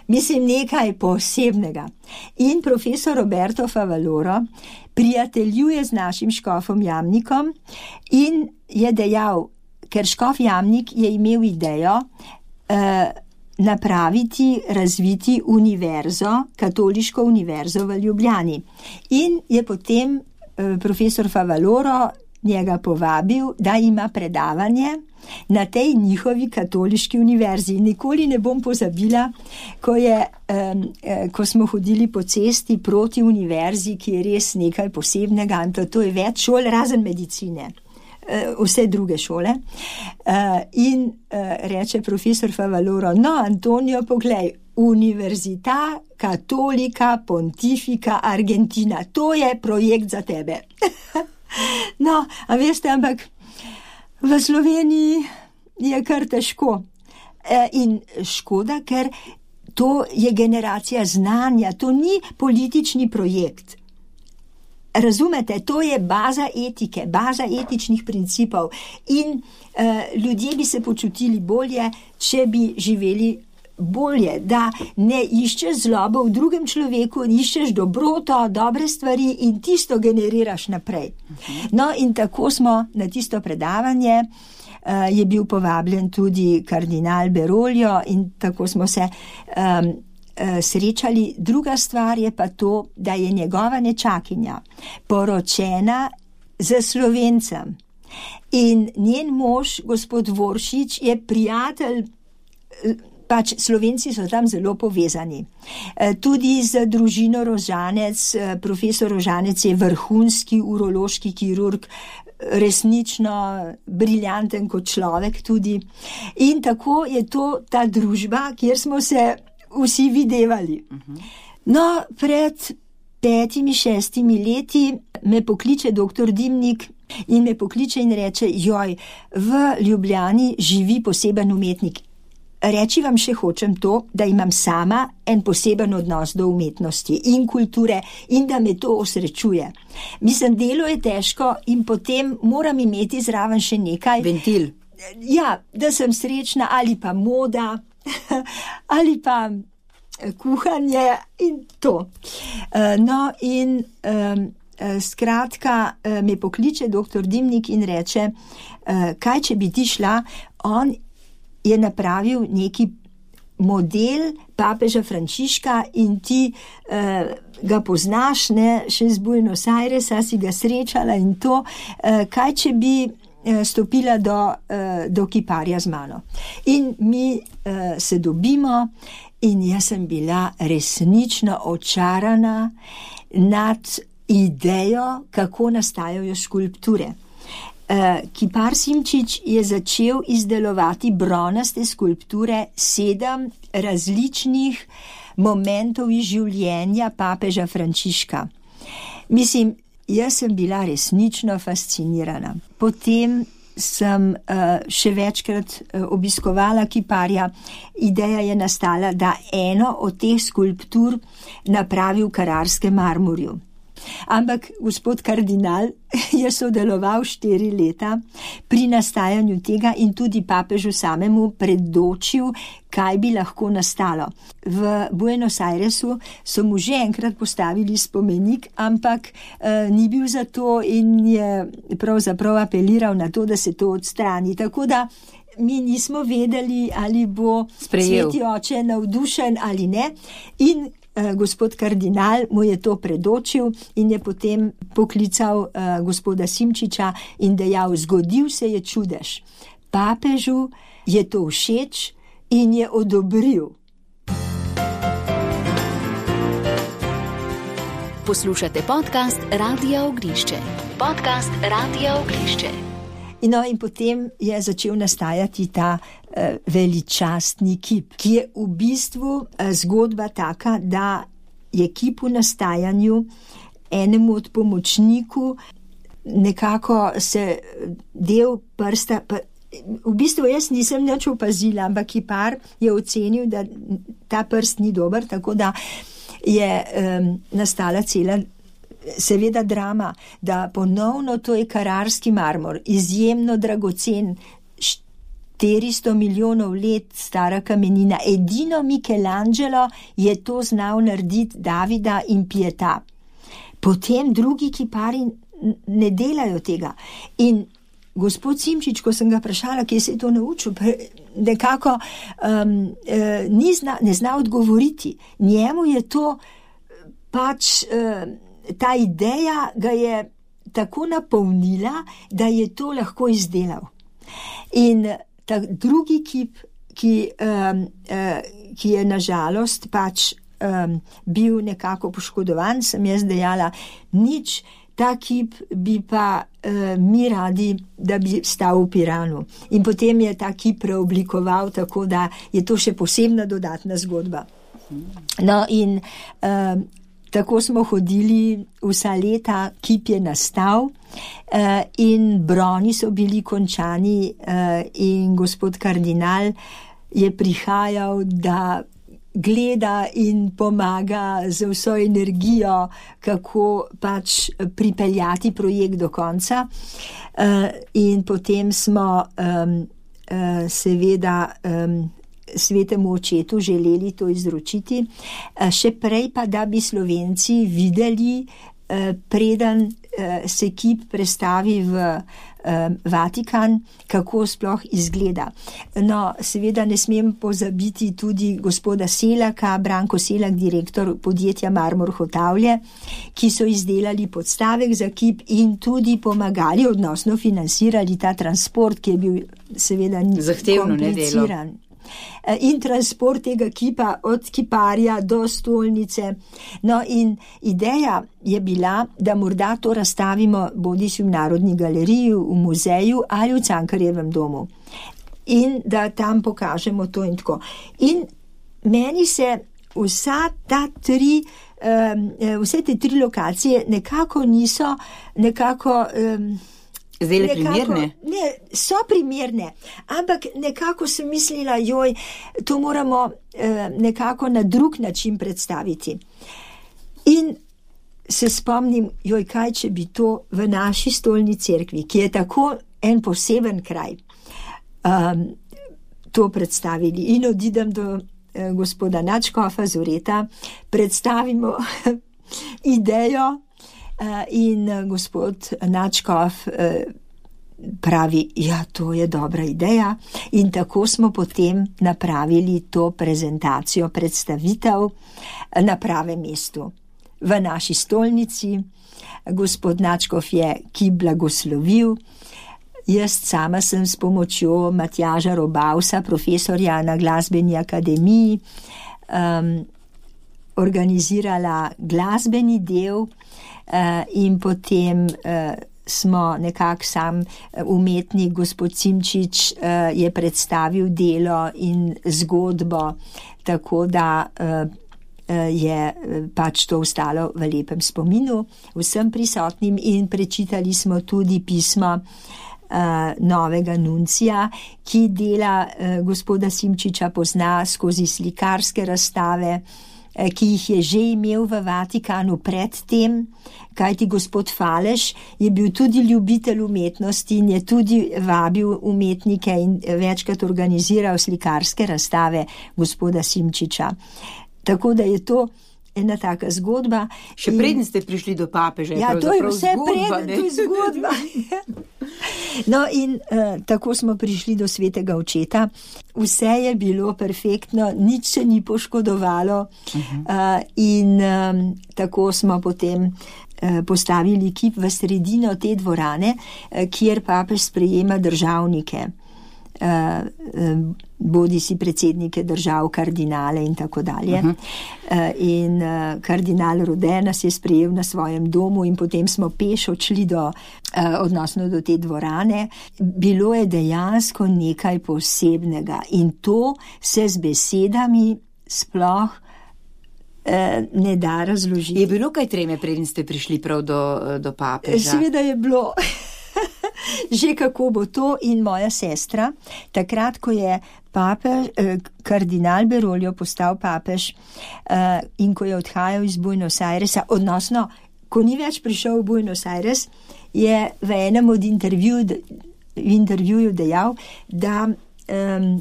Mislim, nekaj posebnega. In profesor Roberto Favaloro prijateljuje z našim škofom Jamnikom in je dejal, ker škof Jamnik je imel idejo eh, napraviti, razviti univerzo, katoliško univerzo v Ljubljani. In je potem eh, profesor Favaloro njega povabil, da ima predavanje na tej njihovi katoliški univerzi. Nikoli ne bom pozabila, ko, je, um, ko smo hodili po cesti proti univerzi, ki je res nekaj posebnega, in to, to je več šol, razen medicine, uh, vse druge šole. Uh, in uh, reče profesor Favaloro, no, Antonio, poglej, Università Cattolica Pontifica Argentina, to je projekt za tebe. No, a veste, ampak v Sloveniji je kar težko. E, in škoda, ker to je generacija znanja, to ni politični projekt. Razumete, to je baza etike, baza etičnih principov in e, ljudje bi se počutili bolje, če bi živeli bolje, da ne iščeš zlobo v drugem človeku, iščeš dobroto, dobre stvari in tisto generiraš naprej. No, in tako smo na tisto predavanje, uh, je bil povabljen tudi kardinal Beroljo in tako smo se um, uh, srečali. Druga stvar je pa to, da je njegova nečakinja poročena z Slovencem in njen mož, gospod Voršič, je prijatelj. Pač Slovenci so tam zelo povezani. Tudi z družino Rožanec, profesor Rožanec je vrhunski urološki kirurg, resnično briljanten kot človek tudi. In tako je to ta družba, kjer smo se vsi videvali. No, pred petimi, šestimi leti me pokliče doktor Dimnik in me pokliče in reče, joj, v Ljubljani živi poseben umetnik. Reči vam še hočem to, da imam sama en poseben odnos do umetnosti in kulture in da me to osrečuje. Mislim, delo je težko in potem moram imeti zraven še nekaj. Ventil. Ja, da sem srečna ali pa moda ali pa kuhanje in to. No in um, skratka me pokliče doktor Dimnik in reče, kaj če bi ti šla, on je napravil neki model papeža Frančiška in ti uh, ga poznaš, ne, še z Buenos Airesa si ga srečala in to, uh, kaj če bi uh, stopila do, uh, do kiparja z mano. In mi uh, se dobimo in jaz sem bila resnično očarana nad idejo, kako nastajajo skulpture. Kipar Simčič je začel izdelovati bronaste skulpture sedem različnih momentov iz življenja papeža Frančiška. Mislim, jaz sem bila resnično fascinirana. Potem sem uh, še večkrat uh, obiskovala kiparja. Ideja je nastala, da eno od teh skulptur napravi v Kararskem marmorju. Ampak gospod kardinal je sodeloval štiri leta pri nastajanju tega in tudi papežu samemu predočil, kaj bi lahko nastalo. V Buenos Airesu so mu že enkrat postavili spomenik, ampak eh, ni bil za to in je pravzaprav apeliral na to, da se to odstrani. Tako da mi nismo vedeli, ali bo Sprejel. Sveti oče navdušen ali ne. In gospod kardinal mu je to predočil in je potem poklical uh, gospoda Simčiča in dejal, zgodil se je čudež. Papežu je to všeč in je odobril. Poslušate podcast Radia Ognjišče. Podcast Radia Ognjišče. No, in potem je začel nastajati ta uh, veličastni kip, ki je v bistvu uh, zgodba taka, da je kip v nastajanju enemu od pomočniku nekako se del prsta, pa, v bistvu jaz nisem nič opazila, ampak kipar je ocenil, da ta prst ni dober, tako da je um, nastala cela seveda drama, da ponovno to je Kararski marmor, izjemno dragocen, štiristo milijonov let stara kamenina. Edino Michelangelo je to znal narediti, Davida in Pietà. Potem drugi kipari ne delajo tega. In gospod Simčič, ko sem ga vprašala, kje se je to naučil, nekako um, eh, ni zna, ne zna odgovoriti. Njemu je to pač... Eh, ta ideja ga je tako napolnila, da je to lahko izdelal. In ta drugi kip, ki, um, uh, ki je nažalost pač um, bil nekako poškodovan, sem jaz dejala, nič, ta kip bi pa uh, mi radi, da bi stal v Piranu. In potem je ta kip preoblikoval, tako da je to še posebna dodatna zgodba. No in um, tako smo hodili vsa leta, kip je nastal uh, in broni so bili končani uh, in gospod kardinal je prihajal, da gleda in pomaga z vso energijo, kako pač pripeljati projekt do konca. Uh, in potem smo um, uh, seveda um, svetemu očetu želeli to izročiti, še prej pa, da bi Slovenci videli, preden se kip prestavi v Vatikan, kako sploh izgleda. No, seveda ne smem pozabiti tudi gospoda Selaka, Branko Selak, direktor podjetja Marmor Hotavlje, ki so izdelali podstavek za kip in tudi pomagali, odnosno financirali ta transport, ki je bil seveda zahtevno kompliciran. In transport tega kipa od kiparja do stolnice. No in ideja je bila, da morda to razstavimo bodisi v Narodni galeriji, v muzeju ali v Cankarjevem domu. In da tam pokažemo to in tako. In meni se vsa ta tri, um, vse te tri lokacije nekako niso nekako... Um, Zdaj primerne? Ne, so primerne, ampak nekako sem mislila, joj, to moramo eh, nekako na drug način predstaviti. In se spomnim, joj, kaj če bi to v naši stolni cerkvi, ki je tako en poseben kraj, um, to predstavili. In odidem do eh, gospoda Nadškofa Zoreta, predstavimo idejo, in gospod Nadškof pravi, ja, to je dobra ideja. In tako smo potem napravili to prezentacijo, predstavitev na pravem mestu. V naši stolnici gospod Nadškof je kip blagoslovil. Jaz sama sem s pomočjo Matjaža Robausa, profesorja na Glasbeni akademiji, um, organizirala glasbeni del, in potem smo nekako sam umetnik, gospod Simčič, je predstavil delo in zgodbo, tako da je pač to ostalo v lepem spominu vsem prisotnim in prečitali smo tudi pismo novega nuncija, ki dela gospoda Simčiča pozna skozi slikarske razstave, ki jih je že imel v Vatikanu predtem, kajti gospod Faleš je bil tudi ljubitelj umetnosti in je tudi vabil umetnike in večkrat organiziral slikarske razstave gospoda Simčiča. Tako da je to ena taka zgodba. Še preden ste prišli do papeža. Ja, to je vse preden, to je zgodba. No in uh, tako smo prišli do svetega očeta. Vse je bilo perfektno, nič se ni poškodovalo uh-huh. uh, in um, tako smo potem uh, postavili kip v sredino te dvorane, uh, kjer papež sprejema državnike. Uh, uh, bodi si predsednike držav, kardinale in tako dalje. Uh-huh. Uh, in uh, kardinal Rode nas je sprejel na svojem domu in potem smo peš odšli do, uh, odnosno do te dvorane. Bilo je dejansko nekaj posebnega in to se z besedami sploh uh, ne da razložiti. Je bilo kaj treme, preden ste prišli prav do, do papeža? Seveda je bilo. Že kako bo to in moja sestra, takrat, ko je papež, eh, kardinal Beroljo postal papež eh, in ko je odhajal iz Buenos Airesa, odnosno, ko ni več prišel v Buenos Aires, je v enem od intervju, v intervjuju dejal, da, eh,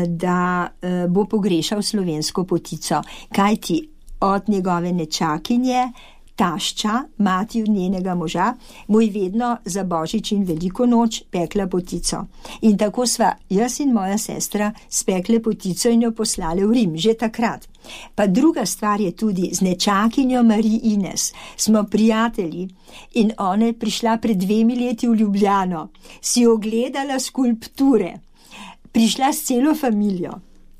da eh, bo pogrešal slovensko potico, kajti od njegove nečakinje, tašča, mati od njenega moža, mu je vedno za Božič in veliko noč pekla potico. In tako sva jaz in moja sestra spekle potico in jo poslale v Rim, že takrat. Pa druga stvar je tudi, z nečakinjo Marie Ines smo prijatelji in ona je prišla pred dvemi leti v Ljubljano, si ogledala skulpture, prišla s celo familijo,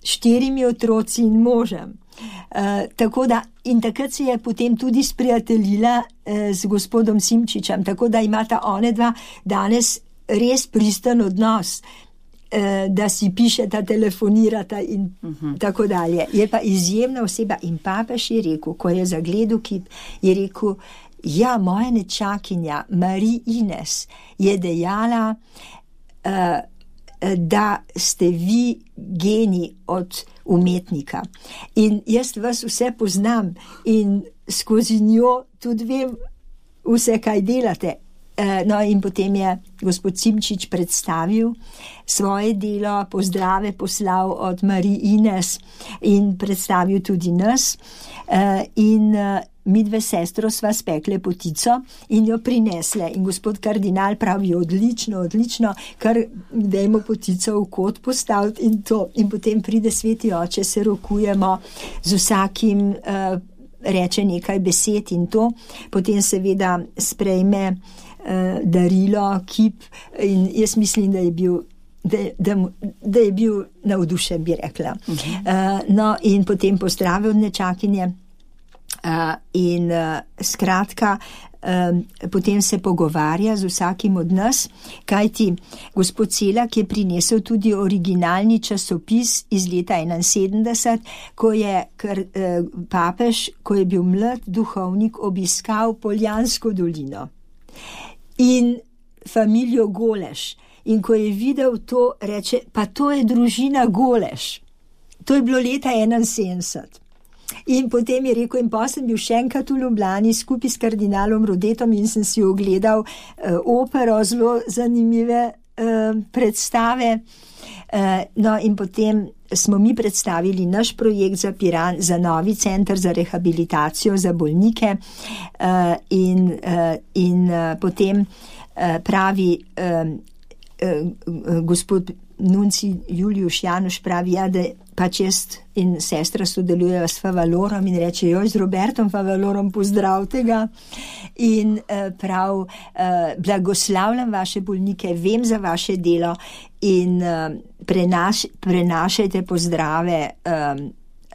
štirimi otroci in možem. Uh, tako da, in takrat se je potem tudi sprijateljila uh, z gospodom Simčičem, tako da imata one dva danes res pristen odnos, uh, da si pišeta, telefonirata in uh-huh. tako dalje. Je pa izjemna oseba in papež je rekel, ko je zagledal kip, je rekel, ja, moja nečakinja Marie Ines je dejala, uh, da ste vi geni od umetnika. In jaz vas vse poznam in skozi njo tudi vem vse, kaj delate. No in potem je gospod Simčič predstavil svoje delo, pozdrave poslal od Marie Ines in predstavil tudi nas. In mi dve sestro sva spekle potico in jo prinesle. In gospod kardinal pravi, odlično, odlično, kar dajmo potico v kot postaviti in to. In potem pride sveti oče, se rokujemo z vsakim, uh, reče nekaj besed in to. Potem seveda sprejme uh, darilo, kip in jaz mislim, da je bil Da, da, da je bil navdušen, bi rekla. Uh-huh. Uh, no in potem pozdravil nečakinje uh, in uh, skratka um, potem se pogovarja z vsakim od nas, kajti gospod Celak je prinesel tudi originalni časopis iz leta enainsedemdeset, ko je kar, uh, papež, ko je bil mlad duhovnik, obiskal Poljansko dolino in familijo Goleš. In ko je videl to, reče, pa to je družina Goleš. To je bilo leta enainsedemdeset. In potem je rekel, in pa sem bil še enkrat v Ljubljani skupaj s kardinalom Rodetom in sem si ogledal uh, opero, zelo zanimive uh, predstave. Uh, no in potem smo mi predstavili naš projekt za Piran, za novi center za rehabilitacijo za bolnike uh, in, uh, in uh, potem uh, pravi um, gospod Nunci Juliuš Januš pravi, ja, da pač jaz in sestra sodelujejo s Favalorom in reče, joj, z Robertom Favalorom pozdravite ga in uh, prav uh, blagoslavljam vaše bolnike, vem za vaše delo in uh, prenaš, prenašajte pozdrave um,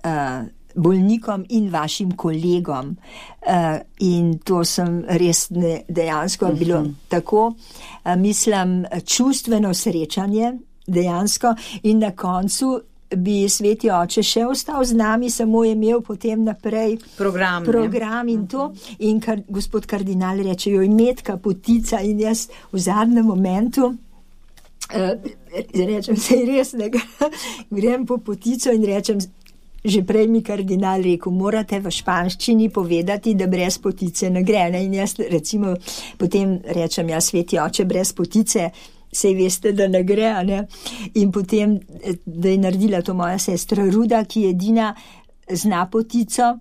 uh, bolnikom in vašim kolegom. Uh, in to sem res ne, dejansko uh-huh. bilo tako, uh, mislim, čustveno srečanje dejansko in na koncu bi sveti oče še ostal z nami, samo je imel potem naprej program, program in to. In kar, gospod kardinal reče, jo Metka potica in jaz v zadnjem momentu uh, rečem, se res ne grem po potico in rečem, že prej mi kardinal rekel, morate v španščini povedati, da brez potice ne gre. Ne? In jaz recimo potem rečem, ja, sveti oče, brez potice sej veste, da ne gre, ne? In potem, da je naredila to moja sestra Ruda, ki edina zna potico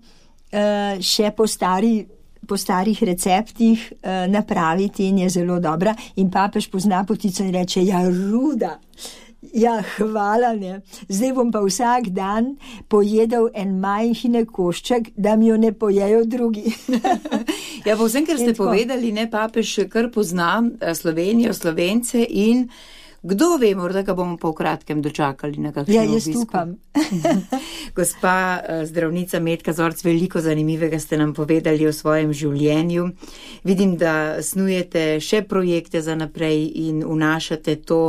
še po, stari, po starih receptih napraviti in je zelo dobra. In papež pozna potico in reče, ja, Ruda, ja, hvala, ne. Zdaj bom pa vsak dan pojedel en majhne košček, da mi jo ne pojejo drugi. Ja, pa vsem, ker ste povedali, ne, papež kar pozna Slovenijo, Slovence in kdo ve, morda ga bomo pa v kratkem dočakali na kakšno ja, jaz obisku. Upam. Gospa zdravnica Metka Zorc, veliko zanimivega ste nam povedali o svojem življenju. Vidim, da snujete še projekte za naprej in vnašate to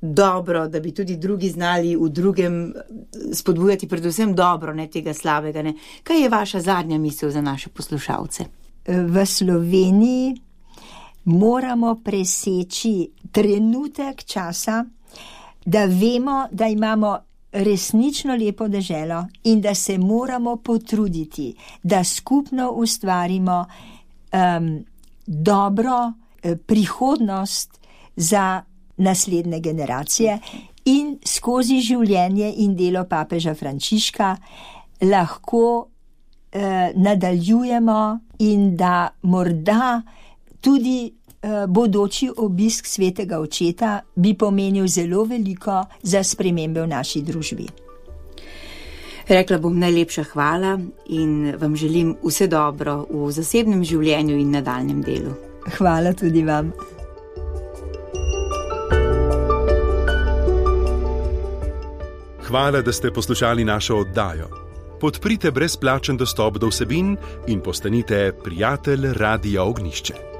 dobro, da bi tudi drugi znali v drugem spodbujati predvsem dobro, ne tega slabega. Ne. Kaj je vaša zadnja misel za naše poslušalce? V Sloveniji moramo preseči trenutek časa, da vemo, da imamo resnično lepo deželo in da se moramo potruditi, da skupno ustvarimo um, dobro eh, prihodnost za naslednje generacije in skozi življenje in delo papeža Frančiška lahko eh, nadaljujemo in da morda tudi eh, bodoči obisk svetega očeta bi pomenil zelo veliko za spremembe v naši družbi. Rekla bom najlepša hvala in vam želim vse dobro v zasebnem življenju in nadaljnjem delu. Hvala tudi vam. Hvala, da ste poslušali našo oddajo. Podprite brezplačen dostop do vsebin in postanite prijatelj Radia Ognjišče.